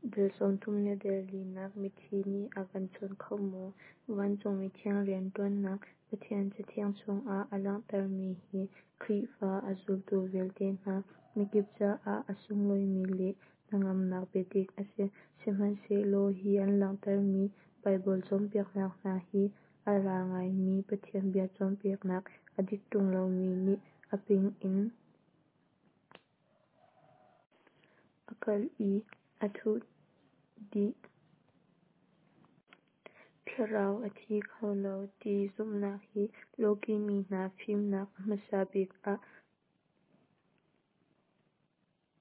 Dal 34 nak Mithi nih a kan chawn kho maw? Vancung mithiang rianṭuannak Pathian Cathiang chungah a langhtermi hi Khrihfa a zultu vialte hna mikip caah a sunglawimi le hnangamnak biadik a si. Sihmanhsehlaw hi an langhtermi Baibal cawnpiaknak hna hi a lar ngaimi Pathian bia cawnpiaknak a dik ṭung lomi nih a ping in a kalh i a thuh dih. Thlarau a thi kho lo ti zumhnak hi lawkih mi hna fimnak a hmasa bik ah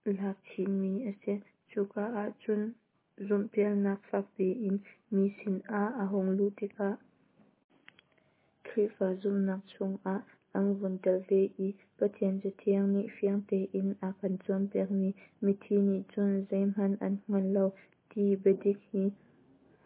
lak chinmi a si. Cuka ahcun zumhpialnak fakpi in mi sinah a hung luh tikah Khrihfa zumhnak chungah an vun telh ve i Pathian Cathiang nih fiang tein a kan cawnpiakmi mithi nih cun zeihmanh an hngal lo ti biadik hi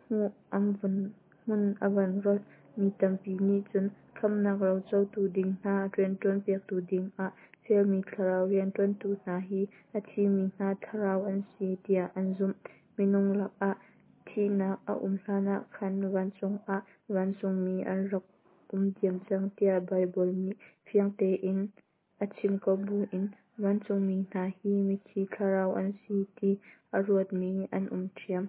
hmun a van rolh. Mi tampi nih cun khamhnak rocotu ding hna rianṭuan piaktu dingah fialmi thlarau rianṭuantu hna hi a thimi hna thlarau an si tiah an zumh. Minung lakah thihnak a um hlanah khan vancung ah vancungmi an rak um diam cang tiah Baibal nih fiang tein a chim ko buin vancungmi hna hi mithi thlarau an si ti a ruatmi an um ṭhiam.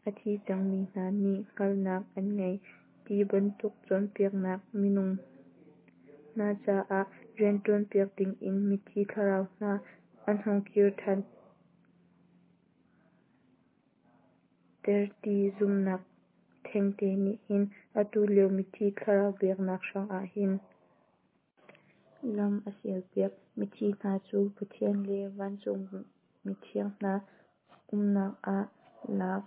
A thi cangmi hna nih hngalhnak an ngei ti bantuk cawnpiaknak, minung hna caah rianṭuan piak dingin mithi thlarau hna an hung kir ṭhan ter ti zumhnak thengte nih hin atu lio mithi thlarau biaknak hrangah hin lam a sialpiak. Mithi hna cu Pathian le vancung mithiang hna umnak ah lak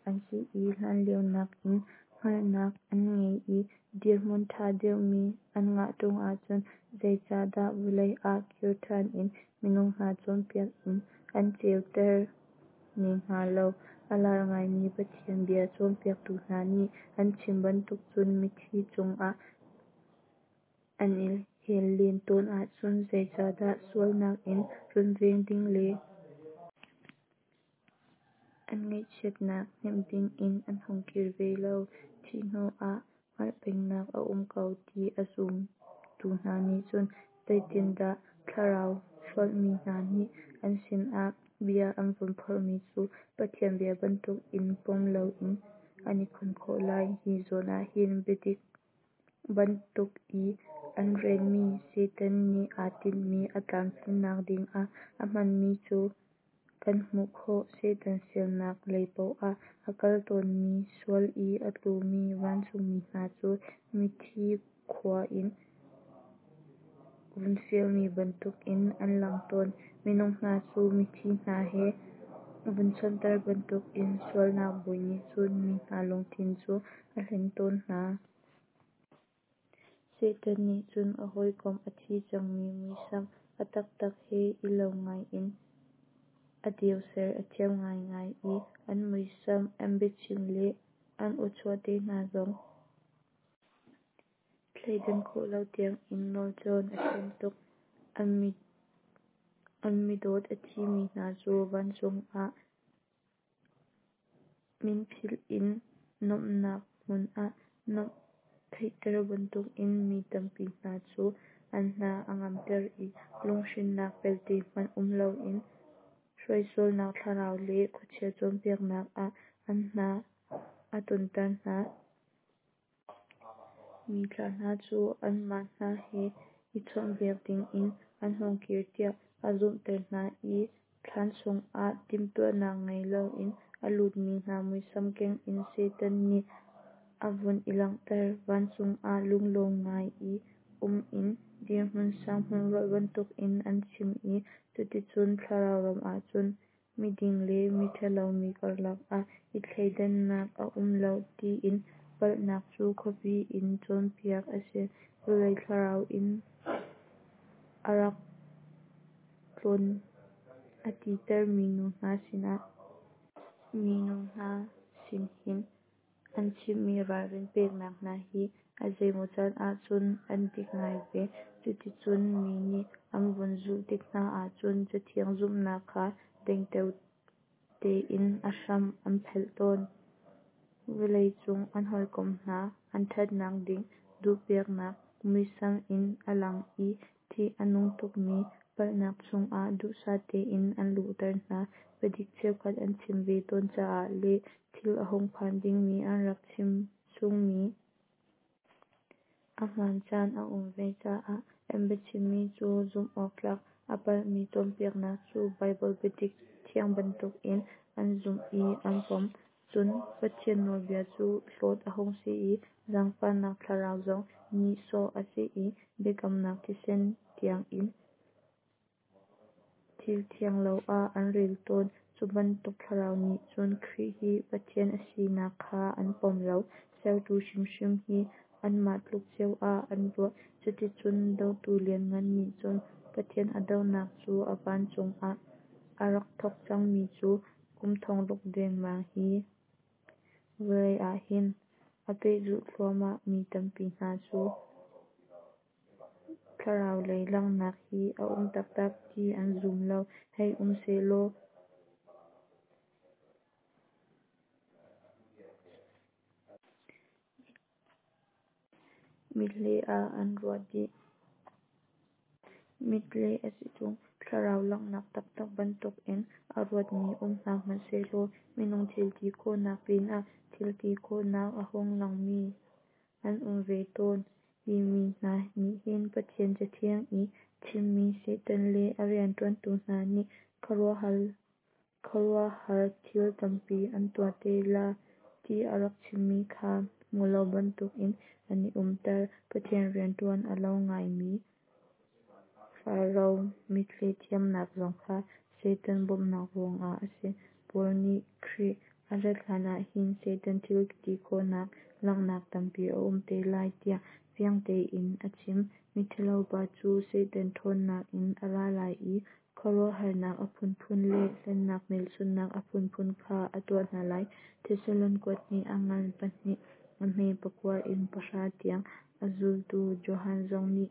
an si i hlanlio nakin hngalhnak an ngei i dirhmun ṭha deuhmi an ngah ṭung ahcun zeicahdah vawlei ah kir ṭhan in minung hna cawnpiak in an ceuter ne hnga lo? A lar ngaimi Pathian bia cawnpiaktu hna nih an chim bantuk cun mithi cungah an i hel len tawn ahcun zeicahdah sualnak in runveng ding le an ngaihchiatnak hnemh dingin an hung kir ve lo? Thih hnuah hngalh pengnak a um ko ti a zumtu hna nih cun zeitindah thlarau hrolhmi hna nih an sinah bia an vun phorhmi cu Pathian bia bantukin pom loin an i khon khawh lai? Hi zawn ahhin biadik bantuk i an relmi Satan nih aa tinhmi a tlamtlinnak dingah a hmanmi cu kan hmuh khawh. Satan fialnak lei paoh ah a kal tawnmi sual i a tlumi vancungmi hna cu mithi khua in vun fialmi bantukin an lang tawn. Minung hna cu mithi hna he vun chawnhter bantukin sualnak bawi nih cun mi hna lungthin cu a hlen tawn hna. Satan nih cun a hawikom a thi cangmi muisam a taktak he i lo ngai in a deu ser a thiam ngaingai i an muisam, an biachim le an awchuah te hna zong thleidan khawh lo tiangin nawlcawn a thiam tuk. An midawt a thimi hna cu vancung ah minphilh in nuamhnak hmun ah nuamh theihter bantukin mi tampi hna cu an hna a ngamter i lunghrinnak pelte hmanh um loin hruaisualnak thlarau le khuachia cawnpiaknak ah an hna a tonter hna. Mithla hna cu anmah hna he i chawnhbiak dingin an hung kir tiah a zumhter hna i thlan chungah timhtuahnak ngei loin a lutmi hna muisam keng in Satan nih a vun i langhter. Vancung ah lunglawm ngai i um in dirhmun sang hmun rolh bantukin an chim i cuticun thlarau ram ahcun miding le miṭhalo mi karlak ah i thleidannak a um lo tiin palhnak cu khuapi in cawnpiak a si. Vawlei thlarau inn a rak tlawn a titer minu hna sinah. Minu hna sin hin an chimmi ralrin peknak hna hi a zeimaw caan ahcun an dik ngai ve. Cuticun mi nih an vun zulh tik hna ahcun Cathiang zumhnak kha dengteo. Tein a hram an phelh tawn. Vawlei cung an hawikom hna an ṭhatnak ding duhpiaknak muisam in a lang i ṭih a nung tukmi palhnak chungah duhsah tein an luhter hna. Biadik cheukhat an chim ve tawn caah le thil a hung phan dingmi an rak chim chungmi a hmaan caan a um ve caah an biachimmi cu zumh awk tlak a palhmi cawnpiaknak cu Baibal biadik thiang bantukin an zumh i an pom. Cun Pathian nawlbia cu hlawt a hung si i zaangfahnak Thlarau zong nihsawh a si i biakamnak thisen tiangin thil thianglo ah an rel tawn. Cu bantuk thlarau nih cun Khrih hi Pathian a sinak kha an pom lo, sertu hrimhrim hi anmah tluk ceo ah an ruah. Cuticun dotu lianngan nih cun Pathian a dohnak cu a vancung ah a rak thawk cangmi cu kum thongruk dengmang hi vawlei ah hin a pehzulh thluahmah. Mi tampi hna cu thlarau lei langhnak hi a um taktak ti an zum lo. Hei um sehlaw mithle ah an ruah dih. Mithle a si ṭung. Thlarau langhnak taktak bantukin a ruatmi um hna hmanhsehlaw minung thil ti khawhnak pinah thil ti khawhnak a hung langmi an um ve tawn. Hi mi hna nih hin Pathian Cathiang i chimmi Satan le a rianṭuantu hna nih khuaruahhar thil tampi an tuah te la ti a rak chimmi kha hmu lo bantukin an i umter. Pathian rianṭuan a lo ngaimi Faro mithle thiamnak zong kha Satan bawmhnak ruangah a si. Paul nih Khrih a rat hlanah hin Satan thil ti khawhnak langhnak tampi a um te lai tiah fiang tein a chim. Miṭhalo pa cu Satan ṭhawnnak in a ra lai i khuaruahharnak a phunphun le hlennak hmelchunhnak a phunphun kha a tuah hna lai. Thesalon kuathnih a ngan pahnih a hme pakua in pahra tiang. A zultu Johan zong nih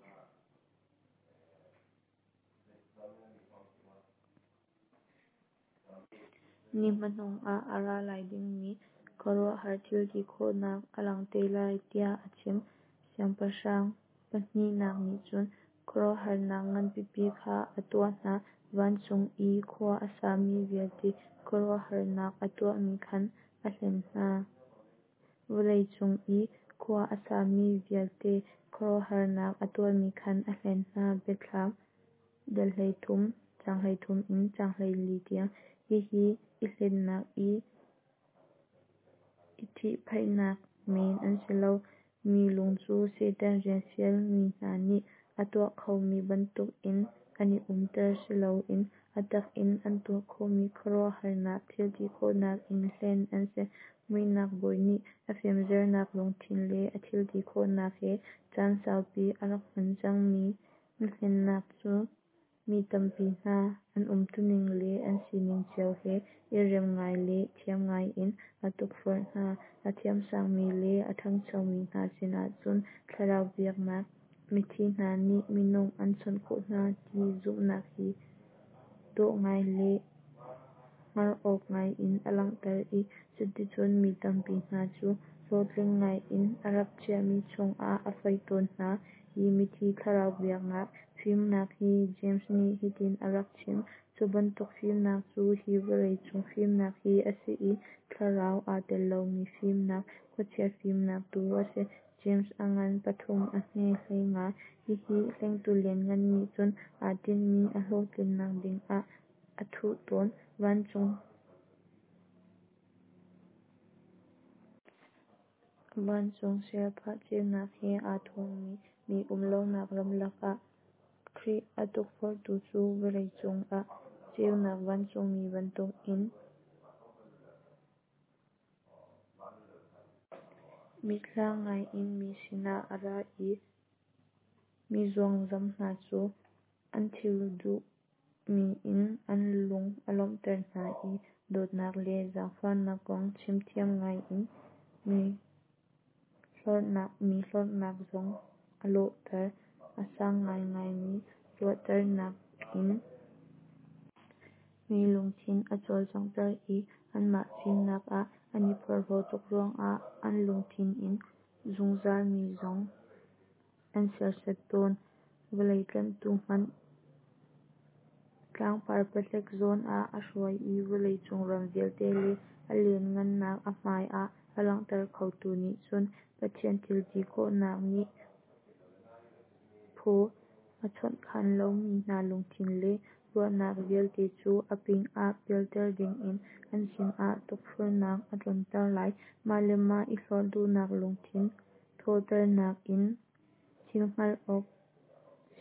ni hmanung ah a ra lai dingmi khuaruahhar thil ti khawhnak a lang te lai tiah a chim. Siangpahrang pahnihnak nih cun khuaruahharnak nganpipi kha a tuah hna, vancung i khua a sami vialte khuaruahharnak a tuahmi khan a hlen hna. Vawlei cung i khua a sami vialte khuaruahharnak a tuahmi khan a hlen hna. Biathlam dal 13, caang 33 in caang 34 tiang. Hihi i hlennak i i ṭhihphaihnak men an si lo. Mi lung cu Satan rian fialmi hna nih a tuah khomi bantukin an i umter si loin a tak in an tuah khawhmi khuaruahharnak thil ti khawhnak in hlen an si. Muihnak bawi nih a fimzernak lungthin le a thil ti khawhnak he caan saupi a rak hman cangmi mihlennak cu mi tampi hna an umtuning le an sining cio he i rem ngai le thiam ngai in a tukforh hna. A thiamsangmi le a ṭhangchomi hna sinah cun thlarau biaknak, mithi hna nih minung an chawnh khawh hna ti zumhnak hi dawh ngai le hngar awk ngai in a langhter i cuticun mi tampi hna cu hlawhtling ngai in a rak chiahmi chungah a foih tawn hna. Hi mithi thlarau biaknak fimnak hi James nih hitin a rak chim: Cu bantuk fimnak cu hi vawlei cung fimnak hi a si i thlarau aa tel lomi fimnak, khuachia fimnak tu a si. James a ngan pathum a hme 15. Hihi hlengtu lianngan nih cun aa tinhmi a hlawhtlinnak dingah a thuh tawn. Vancung Vancung sialphah ceunak he aa thuammi mi um lonak ramlak ah Khrih a tukforhtu cu vawlei cungah ceunak vancungmi bantukin mithlang ngaiin mi sinah a ra i mi zuangzam hna cu an thil duhmi in an lung a lawmhter hna i dawtnak le zaangfahnak kong chimthiam ngaiin mi hlorhnak zong a lawhter. A sang ngaingaimi ruahternak in. Mi lungthin a cawlcanghter i anmah fimnak ah an i porhlaw tuk ruangah an lungthin in zungzal mi zong an serhsat tawn. Vawlei tlanhtu hmanh tlangpar pahlek zawn ah a hruai i vawleicung ram vialte le a lianhngannak a hmai ah a langhter khotu nih cun Pathian thil ti khawhnak nih phaw a chawnhkhan lomi hna lungthin le ruahnak vialte cu a ping ah pialter dingin an sinah tukforhnak a tlunter lai. Mah le mah i hlorh duhnak lungthin thawhternak in thil hngalh awk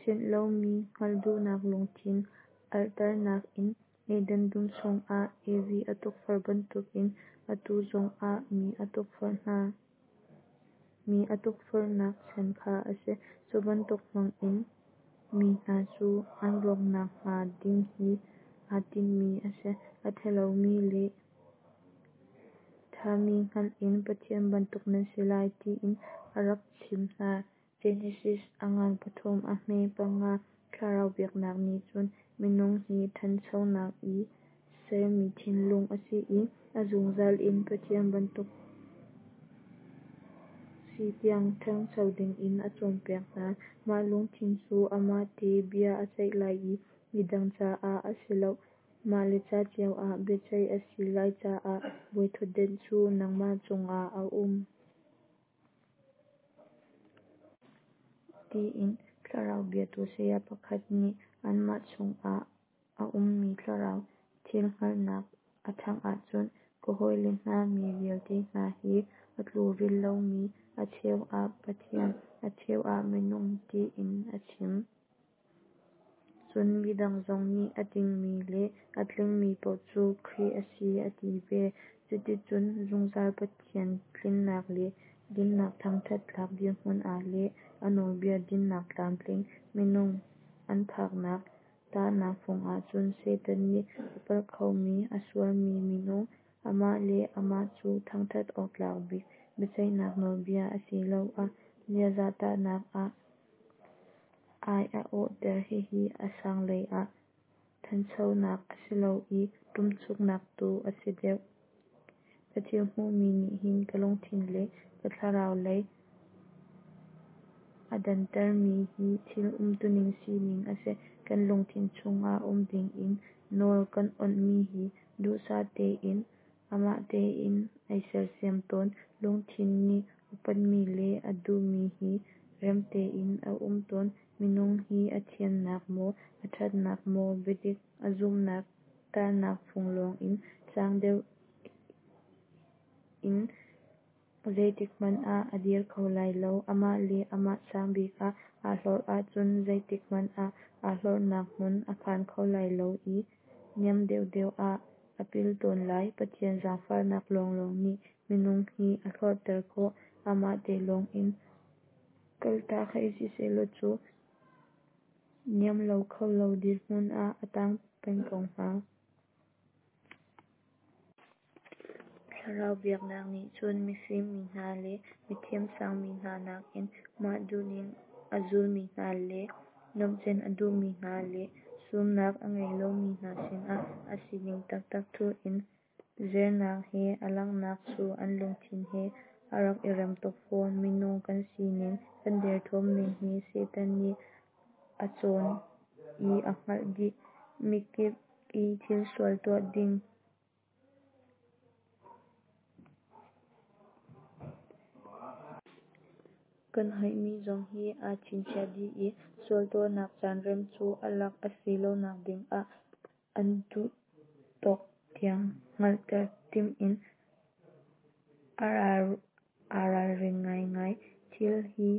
sianh lomi hngalh duhnak lungthin alhternak in Eden dum chungah Evi a tukforh bantukin atu zongah mi a tukforh hna. Mi a tukforhnak chan kha a si. Cu bantuk hmangin mi hna cu an rawk nakhnga ding hi aa tinhmi a si. A thalomi le thami hngalh in Pathian bantuk nan si lai tiin a rak chimh hna. Genesis a ngan pathum a hme panga. Thlarau biaknak nih cun minung hi thanchonak i sermi thinlung a si i a zungzal in Pathian bantuk si tiang thancho dingin a cawnpiak hna. Mah lungthin cu amah te bia a ceih lai i midang caah a si loh. Mah le ca cio ah biaceih a si lai caah bawithutdan cu nangmah cungah a um. Tiin thlarau biatu saya pakhat nih anmah chungah a ummi thlarau thil hngalhnak a ṭhangh ahcun, Ka hawile hna, mi vialte hna hi a tlukrilh lomi, a cheu ah pathian, a cheu ah minung tiin a chim. Cun midang zong nih a dingmi le a tlingmi paoh cu Khrih a si a ti ve. Cuticun zungzal Pathian tlinnak le dinnak thangṭhat tlak dirhmun ah le a nawlbia dinnak tlamtling minung an phaknak tahnak fung ahcun Satan nih a palh khomi, a sualmi minung, amah le amah cu thangṭhat awk tlak bik biaceihnak nawlbia asiloah ziaza tahnak ah ai a awhter. Hihi a sang lei ah thanchonak a si lo i ṭumchuknak tu a si deuh. Ka thil hmuhmi nih hin ka lungthin le ka thlarau lei a dantermi hi thil umtuning sining a si. Kan lungthin chungah um dingin nawl kan awnhmi hi duhsah tein amah tein ai sersiam tawn. Lungthin nih upatmi le a duhmi hi rem tein a um tawn. Minung hi a thiannak maw, a ṭhatnak maw, biadik a zumhnak tahnak fung lawngin sang deuh in zeitikhmanh ah a dir kho lai lo. Amah le amah sangbik ah aa hlorh ahcun zeitikhmanh ah aa hlorhnak hmun a phan kho lai lo i niam deuhdeuh ah a pil tawn lai. Pathian zaangfahnak lawnglawng nih minung hi a hlorhter khawh. Amah te lawngin kaltak hei si sehlaw cu niam lo kho lo dirhmun ah a tang peng ko hnga. Thlarau biaknak nih cun mifim mi hna le mithiamsang mi hna nakin mah duhning a zulmi hna le nuamhcen a duhmi hna le sumnak a ngei lomi hna sinah a sining taktak thuh in zernak he a langhnak cu an lungthin he a rak i rem tuk fawn. Minung kan sining, kan derthawmning hi Satan nih a cawn i a hngalh dih. Mikip i thil sual tuah ding kan hoihmi zong hi aa chinchiah dih i sual tuahnak caan rem cu a lak a si lonak dingah an duh tawk tiang hngalhter timh in aa ralring ngaingai. Thil hi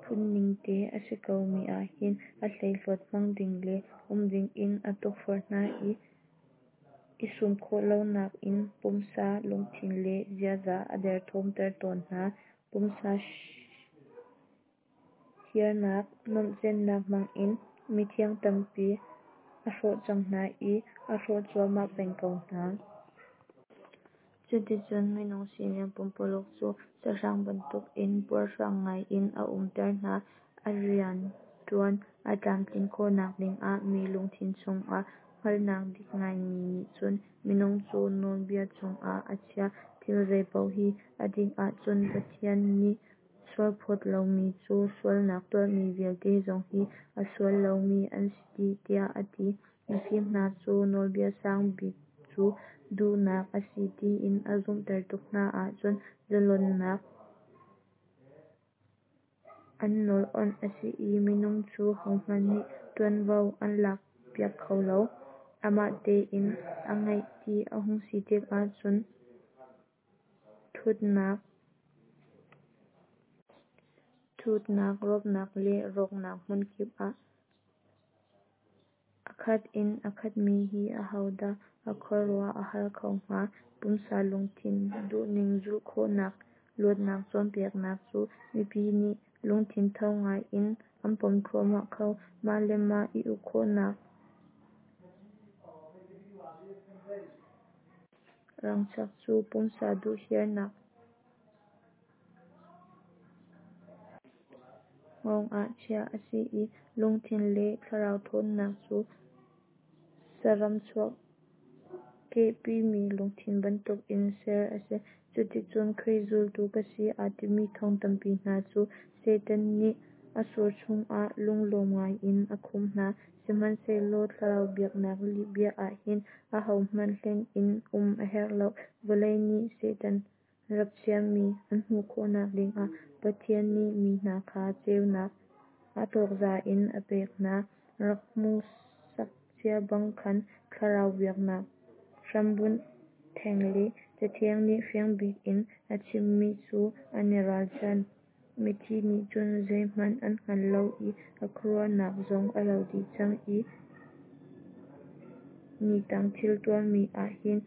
phungning te a si komi ahhin a hleihluat hmang ding le um dingin a tukforh hna i, i sum khawh lonak in pumsa, lungthin le ziaza a derthawmter tawn hna. Pumsa hiarnak, nuamhcennak hmangin mithiang tampi a hrawh cang hna i a hrawh cuahmah peng ko hna. Cuticun minung sining pumpululuk cu sahrang bantukin puarhrang ngaiin a umter hna. A rianṭuan a tlamtlin khawhnak dingah mi lungthin chungah Hngalhnak dik ngaimi nih cun minung cu nawlbia chungah a chiah. Thil zeipaoh hi a dik ahcun Pathian nih sualphawt lomi cu sualnak tuahmi vialte zong hi a sual lomi an si dih, tiah a ti. Mifim hna cu nawlbia sang bik cu duhnak a si tiin a zumhter tuk hna ahcun zalonnak an nawl awnh a si i minung cu hohmanh nih tuanvo an lakpiak kho lo, amah tein aa ngeih ti a hung si tikah cun thutnak, rawpnak le rawknak hmunkip ah a khat in a khatmi hi ahodah a khuaruah a har kho hnga? Pumsa lungthin duhning zulh khawhnak luatnak cawnpiaknak cu mipi nih lungthin tho ngai in an pom thluahmah ko. Mah le mah i uk khawhnak rangchak cu pumsa duhherhnak hngawng ah chiah a si i lungthin le thlarau thawnnak cu saram chuahkehpimi lungthin bantukin ser a si. Cuticun Khrih zultu ka si aa timi thong tampi hna cu Satan nih a sur chungah lunglawm ngaiin a khumh hna. Sihmanhsehlaw thlarau biaknak lihbia ah hin ahohmanh hlen in um a herh lo. Vawlei nih Satan rap chiahmi an hmuh khawhnak dingah Pathian nih mi hna kha ceunak a tawkza in a pek hna. Rak hmuhsak cia bang khan thlarau biaknak hrambunh theng le Cathiang nih fiang bik in a chimmi cu an i ralchan. Mithi nih cun zeihmanh an hngal lo i an khuaruahnak zong a lo dih cang i nitang thil tuahmi ah hin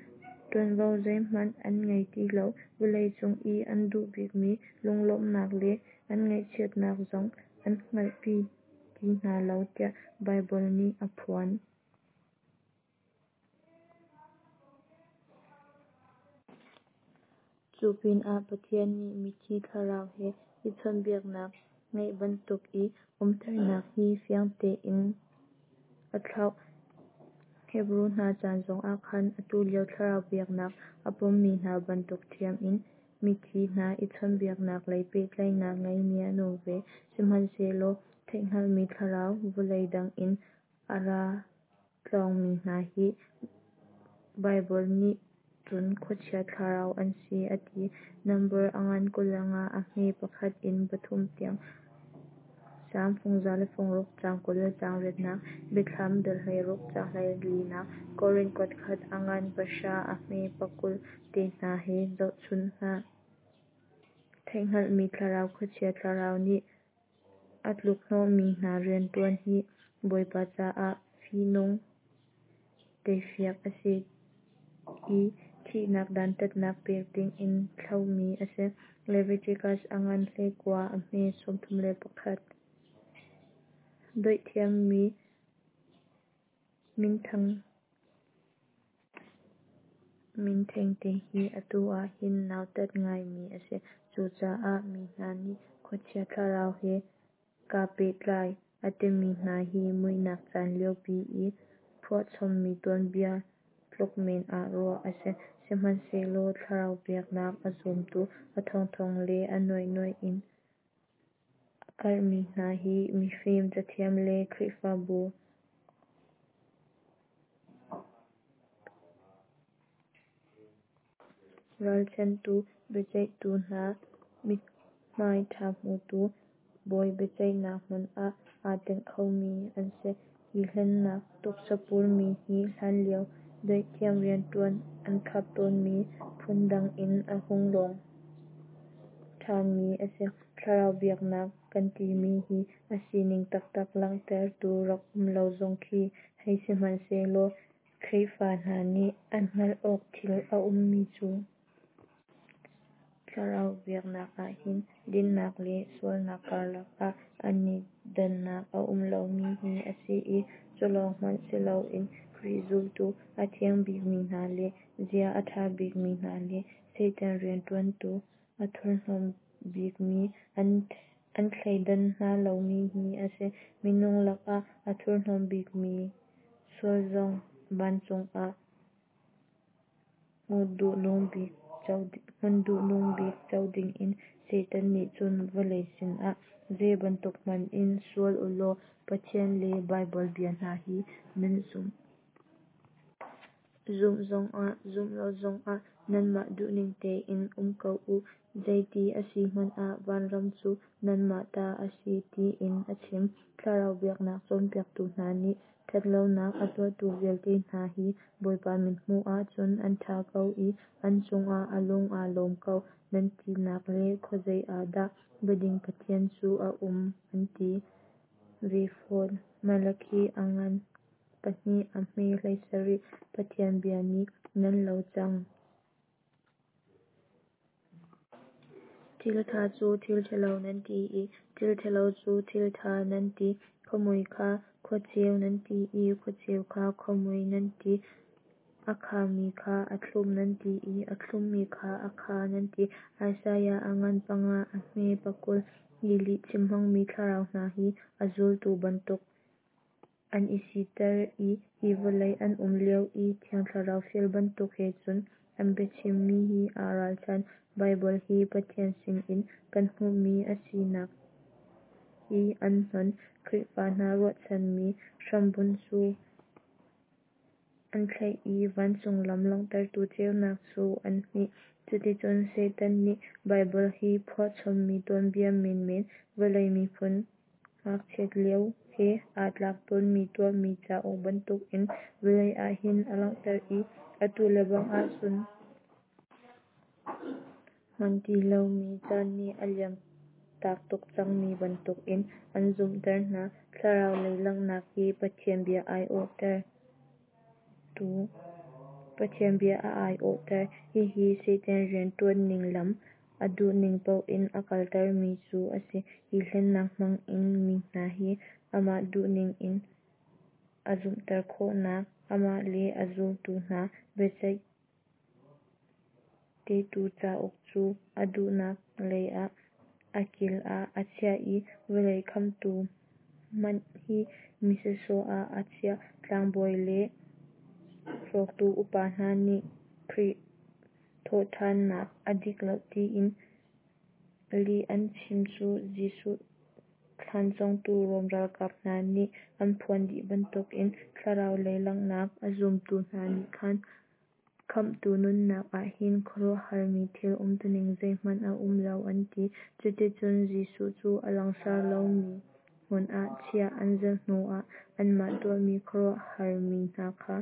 tuanvo zeihmanh an ngei ti lo. Vawlei cung i an duh bikmi lunglawmhnak le an ngaihchiatnak zong an hngalhpi ti hna lo tiah Baibal nih a phuan. Cu pinah Pathian nih mithi thlarau he i chawnhbiaknak ngeih bantuk i umternak hi fiang tein a thlauh. Hebru hna chan zongah khan atu lio thlarau biaknak a pommi hna bantuk ṭhiam in mithi hna i chawnhbiaknak lei pehtlaihnak ngeimi an um ve. Sihmanhsehlaw theihhngalhmi thlarau vawlei dang in a ra tlawngmi hna hi Baibal nih cun khuachia thlarau an si a ti. Nambar a ngan 25 a hme 1 in 3 tiang, Salm fung 106 caang 20 le caang riatnak, Biathlam dal 16 caang 14nak, Korin kuatkhat a ngan 9 a hme 20 te hna he zohchun hna. Theihhngalhmi thlarau khuachia thlarau nih a tlukhnawhmi hna riantuan hi Bawipa caah fihnung teifiak a si i thihnak dantatnak pek dingin thlauhmi a si. Leviticus a ngan 19 a hme 31. Dawithiammi minthang min thengte hi atu ah hin nautat ngaimi a si. Cucaah mi hna nih khuachia thlarau he kaa pehtlai a timi hna hi muihnak caan liopi i phuahchommi tuanbia tluk men ah ruah a si. Sihmanhsehlaw thlarau biaknak a zumtu a thongthong le a nuaihnuaih in a karhmi hna hi mifim cathiam le Khrihfabu ralchanhtu biaceihtu hna mithmai ṭha hmutu bawi biaceihnak hmun ah aa tenh khomi an si. Hi hlennak tuksapurmi hi hlanlio dawithiam rianṭuan an khap tawnmi phundang in a hung lawng ṭhanmi a si. Thlarau biaknak kan timi hi a sining taktak langhtertu rak um lo zong khi hei sihmanhsehlaw Khrihfa hna nih an hngalh awk thil a ummi cu. Thlarau biaknak ahhin dinnak le sualnak karlak ah an i dannak a um lomi hi a si i culawng hmanh siloin Khrih zultu a thiang bikmi hna le zia a ṭha bikmi hna le Satan rianṭuantu a thurhnawm bikmi an thleidan hna lomi hi a si. Minung lakah a thurhnawm bikmi sual zong. Vancung ah hmun duhnung bik co dingin Satan nih cun vawlei sinah zeibantuk hmanh in sual ulaw Pathian le Baibal bia hna hi nan zumh zongah zumh lo zongah nanmah duhning tein um ko uh, zeiti a si hmanh ah vanram cu nanmah ta a si tiin a chim. Thlarau biaknak cawnpiaktu hna nih thatlonak a tuahtu vialte hna hi Bawipa mithmuh ahcun an tha ko i an cungah a lung aa lawm ko nan tinak le khuazei ah dah biading Pathian cu a um an ti ve fawn. Malakhi a ngan 2 a hme 17. Pathian bia nih nan lo cang. Thil tha cu thil thalo nan ti i thil thalo cu thil tha nan ti. Khuamui kha khuaceu nan ti i khuaceu kha khuamui nan ti. A khami kha a thlum nan ti i a thlummi kha a kha nan ti. Isaiah a ngan 5 a hme 20. Hi lihchim hmangmi thlarau hna hi a zultu bantuk an i siter i hi vawlei an um lio i Thiang Thlarau fial bantuk he cun an biachimmi hi aa ralchan. Baibal hi Pathian sinin kan hmuhmi a sinak hi an hnon. Khrihfa hna ruahchanmi hrambunh cu an thlaih i vancung lam langhtertu ceunak cu an hmih. Cuticun Satan nih Baibal hi phuahchommi tuanbia menmen, vawlei miphun ngakchiat lio he aa tlak tawnmi tuahmi cauk bantukin vawlei ah hin a langhter i atu lebang ahcun hman ti lomi, caan nih a liam tak tuk cangmi bantukin an zumhter hna. Thlarau lei langhnak hi Pathian bia a aiawhter. Hihi Satan riantuanning lam, a duhning paoh in a kaltermi cu a si. Hi hlennak hmangin mi hna hi amah duhning in a zumhter khawh hna. Amah le a zultu hna biaceih tehtu cauk cu a duhnak leiah a kil ah a chiah i vawlei khamhtu hmanh hi mi sawsawh ah a chiah. Tlangbawi le hrawktu upa hna nih Khrih thawhthannak a dik lo tiin lih an chim cu Jesuh thlan cawngtu Rom ralkap hna nih an phuan dih bantukin thlarau lei langhnak a zumtu hna nih khan Khamhtu nunnak ah hin khuaruahharmi thil umtuning zeihmanh a um lo an ti. Cuticun Jesuh cu a langsar lomi hmun ah chiah an zalh hnuah anmah tuahmi khuaruahharmi hna kha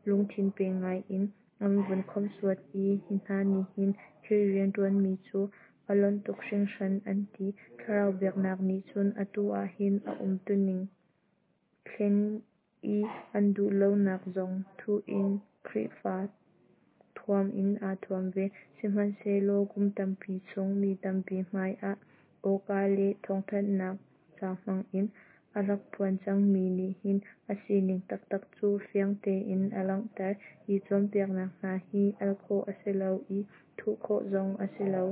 lungthin pe ngaiin an vun khawmhsuat i hi hna nih hin Khrih riantuanmi cu a lonh tuk hringhran an ti. Thlarau biaknak nih cun atu ah hin a umtuning thlen i an duh lonak zong thuh in Khrihfa thuam in aa thuam ve. Sihmanhsehlaw kum tampi chung mi tampi hmaiah awka le thawngthanhnak ca hmangin a rak phuan cangmi nih hin a sining taktak cu fiang tein a langhter. Hi cawnpiaknak hna hi al khawh a si lo i thuh khawh zong a si lo.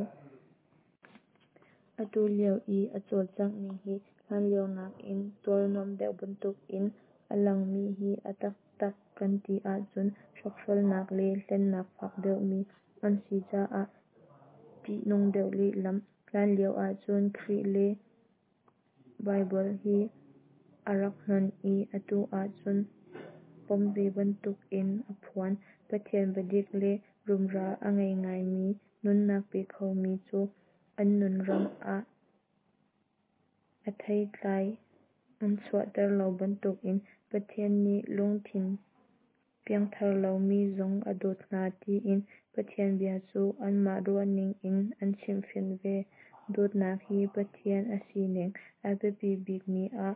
Atu lio i a cawlcangh ning hi hlanlio nakin tual nuam deuh bantukin a langmi hi a taktak kan ti ahcun hrokhrolnak le hlennak fak deuhmi an si caah ṭihnung deuh lehlam. Hlanlio ahcun Khrih le Baibal hi a rak hnon i atu ahcun pom ve bantukin a phuan. Pathian biadik le rumra a ngei ngaimi nunnak pe khomi cu an nun ram ah a theitlai an chuahter lo bantukin Pathian nih lungthin piangthar lomi zong a dawt hna tiin Pathian bia cu anmah ruahning in an chimhfinh ve. Dawtnak hi Pathian a sining a biapi bikmi ah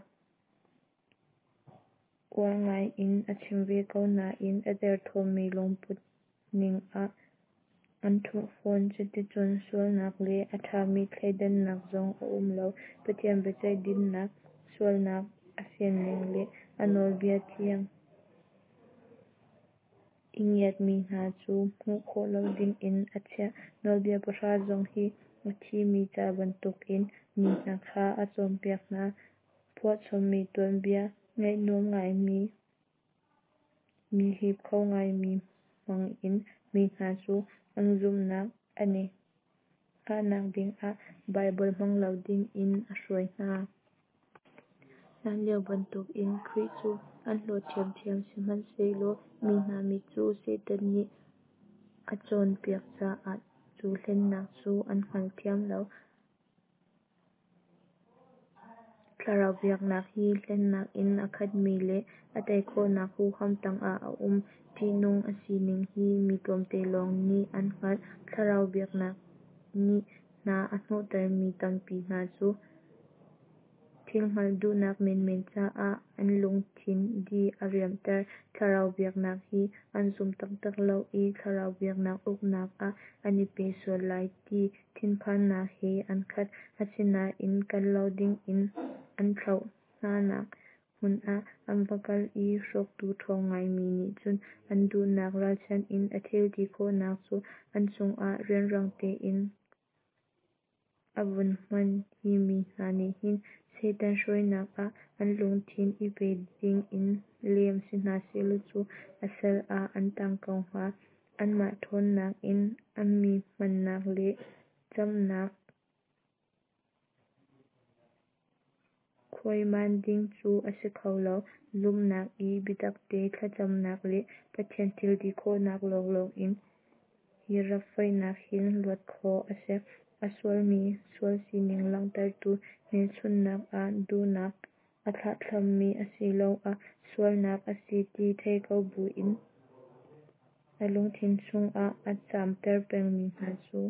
uar ngaiin a chim ve ko nain a derthawmmi lungput ning ah an ṭhumh fawn. Cuticun sualnak le a ṭhami thleidannak zong a um lo. Pathian biaceih dinnak, sualnak a fianning le a nawlbia thiang i ngiatmi hna cu hmuh khawh lo dingin a chiah. Nawlbia pahra zong hi a thimi ca bantukin mi hna kha a cawnpiak hna. Phuahchommi tuanbia ngaih nuam ngaimi. Mi hip kho ngaimi hmangin mi hna cu an zumhnak an i hngahnak dingah Baibal hmang lo dingin a hruai hna. Hlanlio bantukin Khrih cu an hlawt ṭhiamṭhiam, sihmanhsehlaw mi hna mit cu Satan nih a cawnpiak caah cu hlennak cu an hngalthiam lo. Thlarau biaknak hi hlennak in a khatmi le a tei khawhnak huham tangah a um. Ṭihnung a sining hi mi tlawmte lawng nih an hngalh. Thlarau biaknak nih hna a hnawhtermi tampi hna cu thil hngalh duhnak menmen caah an lungthin di a riamhter. Thlarau biaknak hi an zum taktak lo i thlarau biaknak uknak ah an i pe sual lai ti thinphannak he an khat. Asinain kal lo dingin an thlauh hnanak hmun ah an va kal i hrawktu ṭhawng ngaimi nih cun an duhnak ralchanh in a thil ti khawhnak cu an cungah rianrang tein a vun hman. Hi mi hna nih hin Satan hruainak ah an lungthin i pe dingin lem si hna sehlaw cu a sal ah an tang ko hnga. Anmah ṭhawnnak in a mi hmannak le camnak khuaiman ding cu a si kho lo. Zumhnak i biatakte thlacamnak le Pathian thil ti khawhnak lawnglawng in hi rap foihnak hin luat khawh a si. A sualmi sual sining langhtertu hmelchunhnak ah duhnak a thlahthlammi asiloah sualnak a si ti thei ko buin a lungthin chungah a camter pengmi hna cu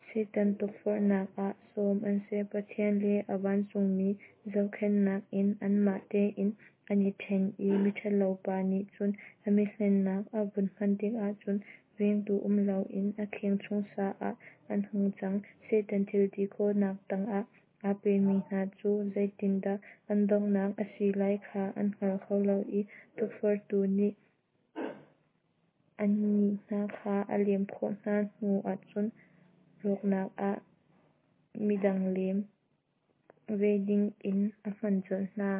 Satan tukforhnak ah sawm an si. Pathian le a vancungmi zohkhenhnak in anmah tein an i ṭhen i miṭhalopa nih cun a mihlennak a vun hman tikah cun vengtu um loin a kheng chung sa ah an hung cang. Satan thil ti khawhnak tangah aa pemi hna cu zeitindah an donghnak a si lai kha an hngal kho lo i tukforhtu nih annih hna kha a lem khawh hna hnu ahcun rawknak ah midang lem ve dingin a hman colh hna.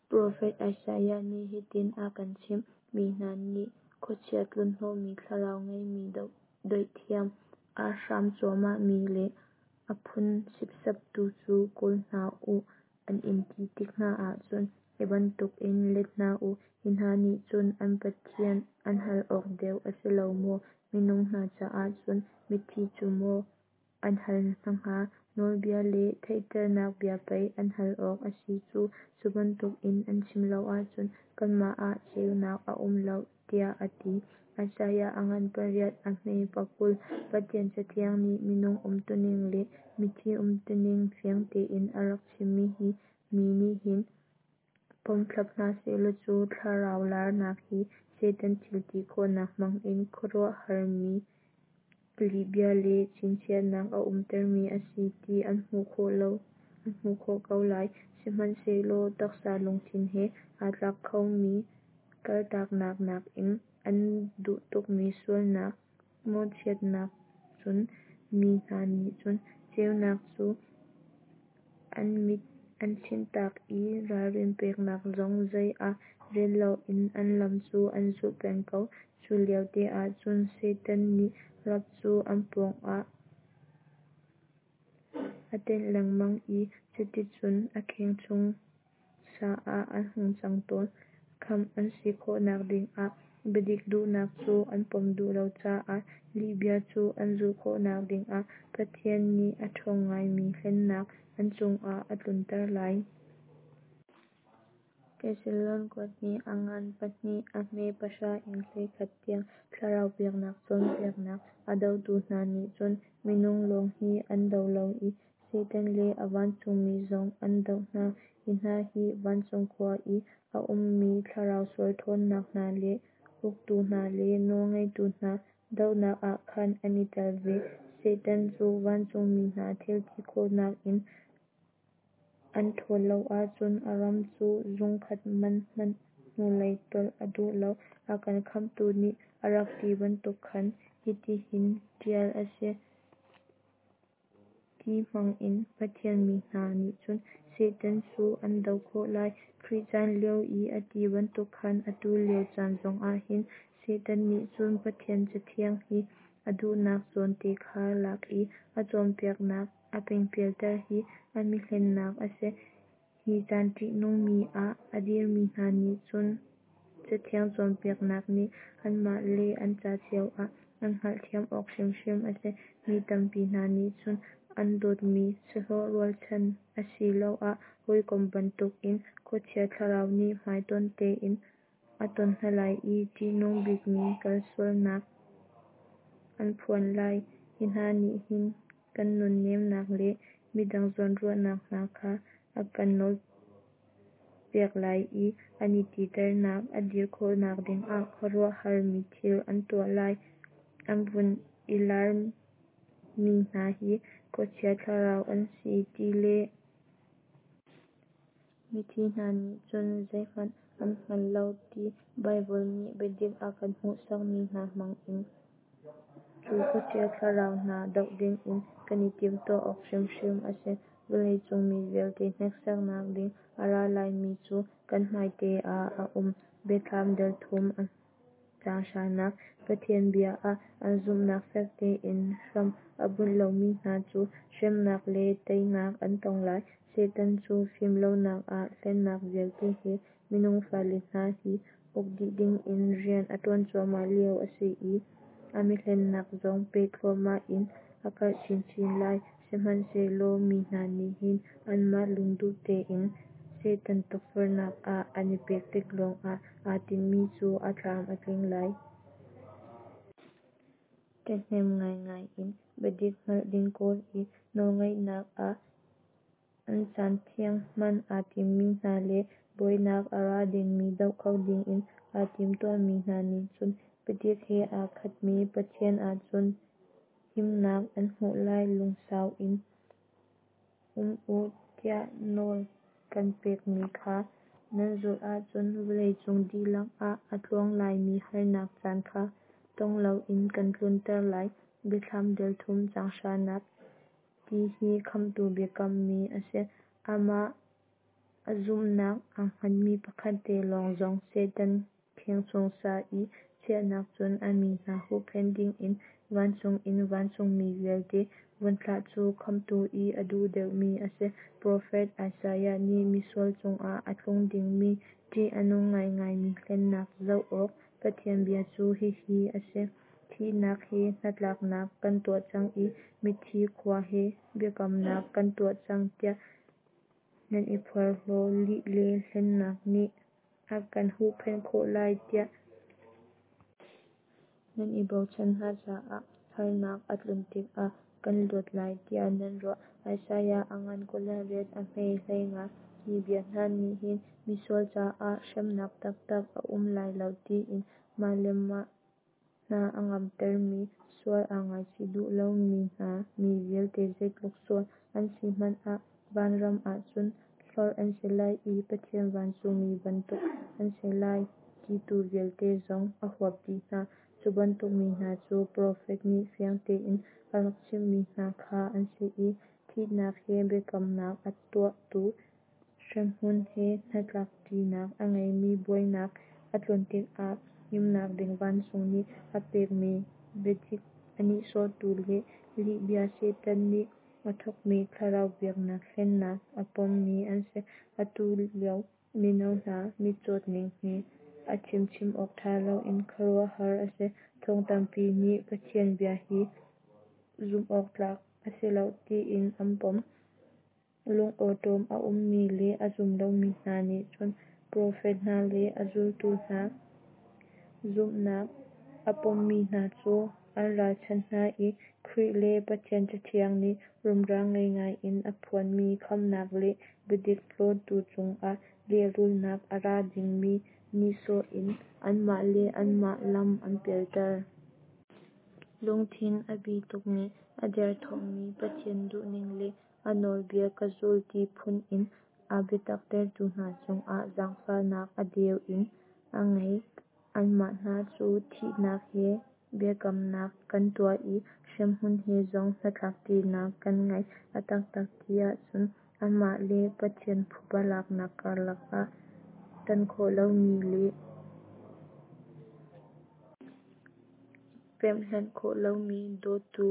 Profet Isaiah nih hitin a kan chimh: Mi hna nih khuachia tlunhnawhmi thlarau ngeimi dawithiam, a hram cuahmahmi le a phun sipsaptu cu kawl hna u an in ti tik hna ahcun hi bantukin let hna u: Hi hna nih cun an Pathian an hal awk deuh a si lo maw? Minung hna caah cun mithi cu maw an hal hna hnga? Nawlbia le theihternak bia pei an hal awk a si cu. Cu bantukin an chim lo ahcun kanmah ah ceunak a um lo, tiah a ti. Isaiah a ngan pariat, a hme 20. Pathian Cathiang nih minung umtuning le mithi umtuning fiang tein a rak chimmi hi mi nih hin pom thlap hna sehlaw cu thlarau larnak hi Satan thil ti khawhnak hmangin khuaruahharmi lihbia le chinchiahnak a umtermi a si ti an hmuh khawh ko lai. Sihmanhsehlaw taksa lungthin he aa tlak khomi kaltaknak nakin an duh tukmi sualnak mawhchiatnak cun mi hna nih cun ceunak cu an mit an chinhtak i ralrin peknak zong zei ah rel loin an lam cu an zulh peng ko. Cu lio te ah cun Satan nih rap cu an pawngah a tenh lengmang i cuticun a kheng chung sa ah an hung cang tawn. Khamh an si khawhnak dingah biadik duhnak cu an pom duh lo caah lihbia cu an zulh khawhnak dingah Pathian nih a ṭhawng ngaimi hlennak an cungah a tlunter lai. Thessalon kuat hnih a ngan pahnih a hme pahra in 11 tiang. Thlarau biaknak cawnpiaknak a dotu hna nih cun minung lawng hi an do lo i Satan le a vancungmi zong an doh hna. Hi hna hi vancung khua i a ummi thlarau sual ṭhawnnak hna le uktu hna le nawlngeitu hna dohnak ah khan an i tel ve. Satan cu vancungmi hna thil ti khawhnak in an ṭhawl lo ahcun a ram cu zungkhat man hmanh hnulei tolh a duh lo. A kan khamhtu nih a rak ti bantuk khan hitihin ṭial a si. Ti hmangin Pathian mi hna nih cun Satan cu an doh khawh lai. Khrih caan lio i a ti bantuk khan atu lio caan zongah hin Satan nih cun Pathian Cathiang hi a duhnak zawn te kha lak i a cawnpiaknak a pingpialter hi a mihlennak a si. Hi caan ṭihnung mi ah a dirmi hna nih cun Cathiang cawnpiaknak nih anmah le an ca cio ah an hngalhthiam awk hrimhrim a si. Mi tampi hna nih cun an dawtmi sahlawh rualchan asiloah hawikom bantukin khuachia thlarau nih hmaitonh tein a ton hna lai i ṭihnung bikmi kalsualnak an phuan lai. Hi hna nih hin kan nunnemnak le midang zawnruahnak hna kha a kan nawlpiak lai i an i titernak a dir khawhnak dingah khuaruahhar mi thil an tuah lai. An vun i larmi hna hi khuachia thlarau an si ti le mithi hna nih cun zeihmanh an hngal lo ti Baibal nih biadik a kan hmuhsakmi hna hmangin cu khuachia thlarau hna doh dingin kan i timhtuah awk hrimhrim a si. Vawlei cung mi vialte hneksaknak ding a ra laimi cu kan hmaite ah a um. Biathlam dal thum caang hranak. Pathian bia ah an zumhnak fek tein hram a bunh lomi hna cu hremnak le teinak an tong lai. Satan cu fim lonak ah hlennak vialte he minung fale hna hi uk dih dingin rian a ṭuan cuahmah lio a si i a mihlennak zong peh thluahmah in a karh chinchin lai. Sihmanhsehlaw mi hna nih hin anmah lungduh tein Satan tukforhnak ah an i pek tik lawngah aa tinhmi cu a tlam a tling lai. Ṭhahnem ngaingai in biadik hngalh ding kawl i nawlngaihnak ah an caan thiang hman aa timmi hna le buainak a ra dingmi doh kho dingin aa timtuahmi hna nih cun biadik he aa khatmi Pathian ahcun himnak an hmuh lai. Lungsau in um u tiah nawl kan pekmi kha nan zulh ahcun vawleicung dihlak ah a tluang laimi harnak caan kha tong loin kan tlunter lai. Biathlam dal thum caang hranak. Ti hi Khamhtu biakammi a si. Amah ah zumhnak aa hngatmi pakhat te lawng zong Satan kheng chung sa i chiahnak cun a mi hna huhphenh dingin vancung in vancungmi vialte vun thlah cu Khamhtu i a duh deuhmi a si. Profet Isaiah nih misual cungah a tlung dingmi ṭih a nung ngaingaimi hlennak zoh awk Pathian bia cu hihi a si: Thihnak he hnatlaknak kan tuah cang i mithi khua he biakamnak kan tuah cang tiah nan i porhlaw. Lih le hlennak nih a kan huhphenh khawh lai tiah nan i bochan hna caah harnak a tlun tikah kan luat lai tiah nan ruah. Isaiah a ngan 28 a hme 15. Hi bia hna nih hin misual caah hremnak taktak a um lai lo tiin mah le mah hna a ngamtermi, sual aa ngaichih duh lomi hna, mi vialte zeitluk sual an si hmanh ah vanram ahcun hlorh an si lai i Pathian vancungmi bantuk an si lai titu vialte zong a huap dih hna. Cu bantuk mi hna cu profet nih fiang tein a rak chimmi hna kha an si i, thihnak he biakamnak a tuahtu, hremhmun he hnatlakṭinak a ngeimi, buainak a tlun tikah himnak ding vancung nih a pekmi biadik a nihsawhtu le lihbia Satan nih a thawkmi thlarau biaknak hlennak a pommi an si. Atu lio mino hna mitcawt ning hi a chim chim awk ṭha loin khuaruahhar a si. Thong tampi nih Pathian bia hi zumh awk tlak a si lo tiin an pom. Lungawṭawm a ummi le a zum lomi hna nih cun profet hna le a zultu hna zumhnak a pommi hna cu an ralchanh hna i Khrih le Pathian Cathiang nih rumra ngei ngaiin a phuanmi khamhnak le biadik hlawtu cungah lehrulnak a ra dingmi nihsawh in anmah le anmah lam an pialter. Lungthin a bi tukmi, a derthawmmi, Pathian duhning le a nawlbia ka zul ti phun in aa biataktertu hna cungah zaangfahnak a deu in a ngei. Anmah hna cu thihnak he biakamnak kan tuah i hremhmun he zong hnatlakṭinak kan ngei. A taktak ti ahcun Amah le Pathian phuba laknak karlak ah tan khawh lomi le pemh-hlanh khawh lomi dawtu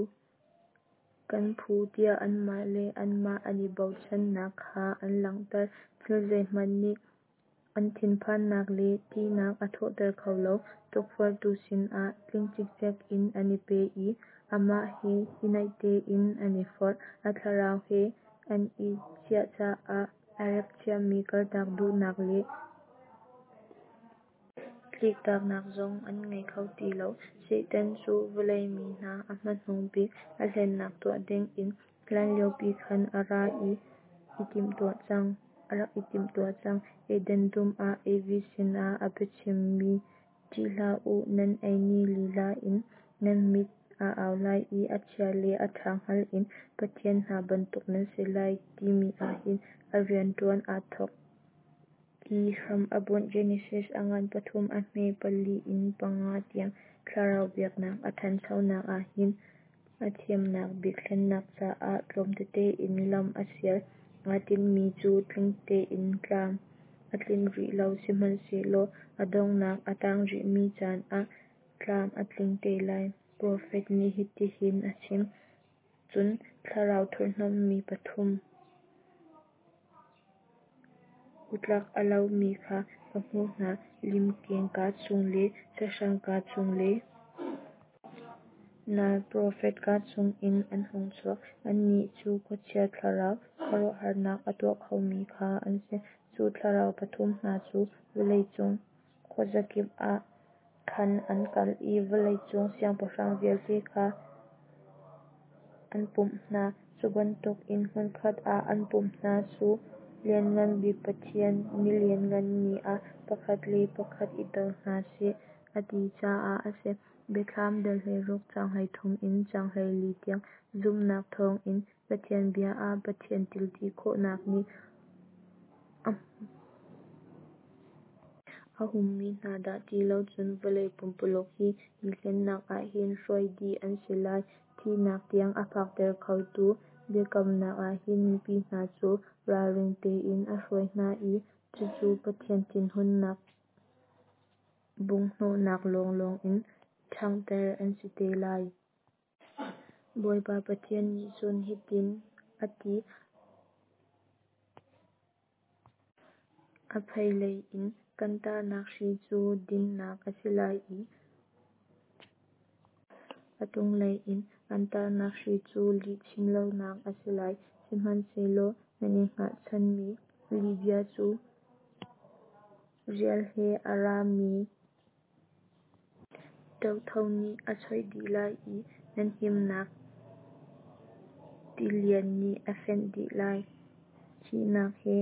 kan phu tiah anmah le anmah an i bochannak kha an langhter. Thil zeihmanh nih an thinphannak le ṭihnak a thawhter kho lo. Tukforhtu sinah tling cikcek in an i pe i amah he i naih tein an i forh. A thlarau he an i ciah caah a rep chiami kaltak duhnak le tliktaknak zong an ngei kho ti lo. Satan cu vawlei mi hna a hmanung bik a hlennak tuah dingin hlanlio pi khan a rak i timhtuah cang. Eden dum ah Evi sinah a biachimmi "Ṭih hlah u, nan ei ni lila in nan mit aa au lai i a chia le a ṭha hngal in pathian hna bantuk nan si lai" timi ahhin a rianṭuan aa thawk i hram a bunh. Genesis a ngan pathum a hme pali in panga tiang. Thlarau biaknak a ṭhanchonak ahhin a thiamnak bik hlennak caah tlawm tete in lam a sial. Aa tinhmi cu tling tein tlam a tlinh rih lo, sihmanhsehlaw a donghnak a tang rihmi caan ah tlam a tling te lai. Profet nih hitihin a chim: Cun thlarau thurhnawmmi pathum, utlak a lomi kha ka hmuh hna, limkeng kaa chung le sahrang kaa chung le nal profet kaa chungin an hung chuak. Annih cu khuachia thlarau, khuaruahharnak a tuah khomi kha an si. Cu thlarau pathum hna cu vawlei cung khuazakip ah khan an kal i vawlei cung siangpahrang vialte kha an pumh hna. Cu bantukin hmunkhat ah an pumh hna cu Lianngan Bik Pathian ni lianngan ni ah pakhat le pakhat i do hna seh, a ti caah a si. Biathlam dal 16 caang 33 in caang 24 tiang. Zumhnak thawngin Pathian bia ah Pathian thilti khawhnak nih a hummi hna dah ti lo cun vawlei pumpululuk hi, hi hlennak ah hin hruai dih an si lai. Thihnak tiang a phakter khotu biakamnak ah hin mipi hna cu ralring tein a hruai hna i cucu Pathian thinhunnak bunghhnawhnak lawnglawng in ṭhanghter an si te lai. Bawipa Pathian nih cun hitin a ti: A pheilei in kan tahnak hri cu dinnak a si lai i a tung lei in an tahnak hri cu lihchim lonak a si lai. Sihmanhsehlaw nan i hngatchanmi lihbia cu rial he a rami ṭotho nih a choih dih lai i nan himnak tilian nih a fenh dih lai. Thihnak he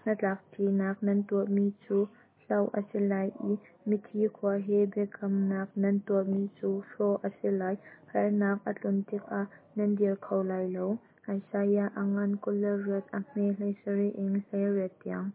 hnatlakṭinak nan tuahmi cu hloh a si lai i mithi khua he biakamnak nan tuahmi cu hrawh a si lai. Harnak a tlun tikah nan dir kho lai lo. Isaiah a ngan 28 a hme 17 in 18 tiang.